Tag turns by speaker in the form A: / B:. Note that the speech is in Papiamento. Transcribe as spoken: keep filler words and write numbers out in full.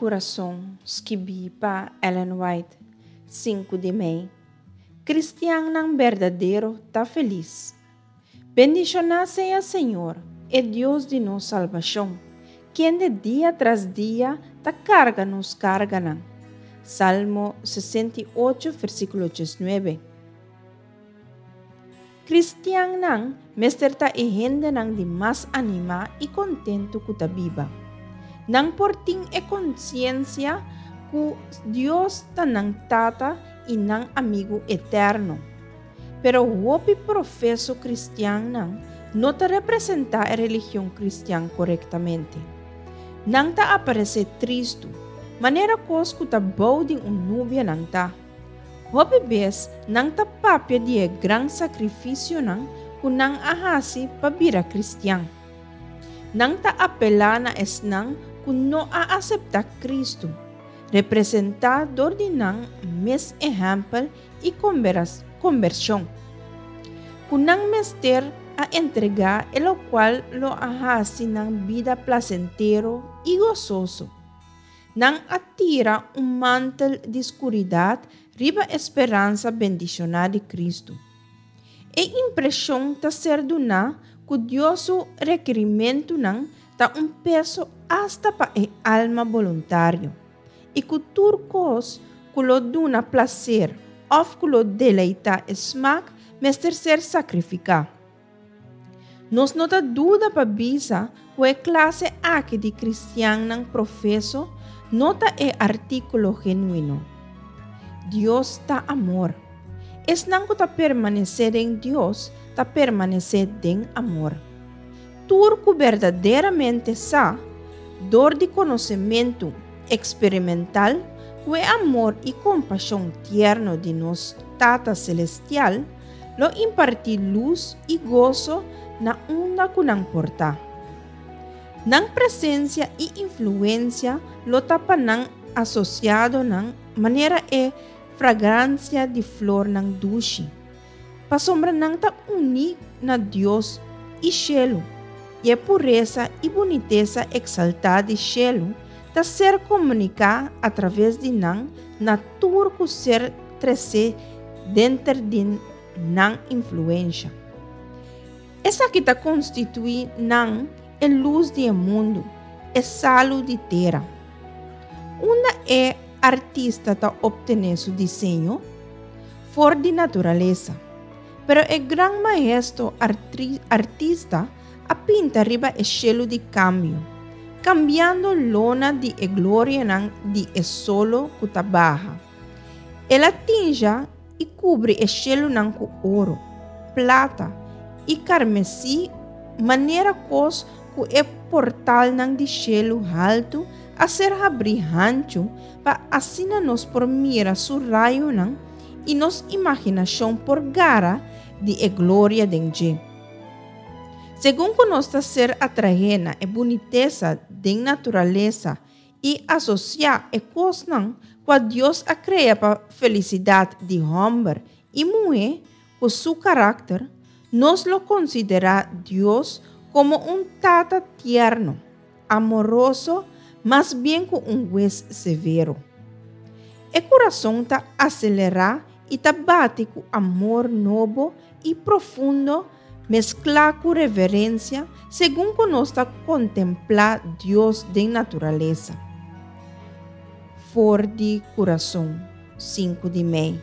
A: Kurason, skibí pa Ellen White, sinku di mei. Kristiannan berdadero ta felis. Bendishoná sea Señor, e Dios di nos salbashon, kende dia tras dia ta karga nos karganan. Salmo sesenta i ocho, versíkulo diesnuebe. Kristiannan mester ta e hendenan di mas animá i kontentu ku ta biba. Nan por tin e konsiensia ku Dios ta nan Tata i nan amigu eterno. Pero hopi profeso kristiannan no ta representá e religion kristian korektamente. Nan ta aparesé tristu, manera kos ku ta bou di un nubia nan ta. Hopi bes nan ta papia di e gran sakrifisionan ku nan a hasi pa bira kristian. Nan ta apelá na esnan ku no a aseptá Kristu, representá dor di nan mes ehèmpel i kombershon, ku nan mester a entregá e lokual lo a hasi nan bida plasentero i gososo. Nan a tira un mantel di skuridat riba e speransa bendishoná di Kristu. E impreshon ta ser duná ku Dios su rekerimentunan ta un peso asta pa e alma boluntario, i ku tur kos ku lo duna plaser òf ku lo deleitá e smak mester ser sakrifiká. Nos no ta duda pa bisa ku e klase aki di kristiannan profeso no ta e artíkulo genuino. Dios ta amor. Esnan ku ta permanesé den Dios ta permanesé den amor. Tur ku berdaderamente sa, dor di konosementu eksperimental, ku e amor i kompashon tierno di nos Tata Selestial lo impartí lus i goso na unda ku nan por ta. Nan presensia i influensia lo ta pa nan asosiadonan manera e fragransia di flornan dushi. Pasobra nan ta uní na Dios i shelu, i e puresa i bunitesa eksaltá di shelu ta ser komuniká atraves di nan na tur ku ser tresé denter di nan influensha. Esaki ta konstituí nan e lus di e mundu, e salu di tera. Unda e artista ta optené su diseño? For di naturalesa. Pero e gran maestro artista a pinta riba e shelu di kambio, kambiando lona di e glorianan di e solo ku ta baha. El a tinja i kubri e shelunan ku oro, plata i karmesí manera kos ku e portalnan di shelu haltu a ser habrí hanchu pa asina nos por mira su rayonan i nos imaginashon por gara di e gloria den dje. Segun ku nos ta ser atraé na e bunitesa den naturalesa i asosiá e kosnan kua Dios a krea pa felisidat di hòmber i muhé ku su karakter, nos lo konsiderá Dios komo un Tata tierno, amoroso, mas bien ku un hues severo. E kurason ta aselerá i ta bati ku amor nobo i profundo mesklá ku reverensia segun ku nos ta kontemplá Dios den naturalesa. For di Kurason, sinku di mei.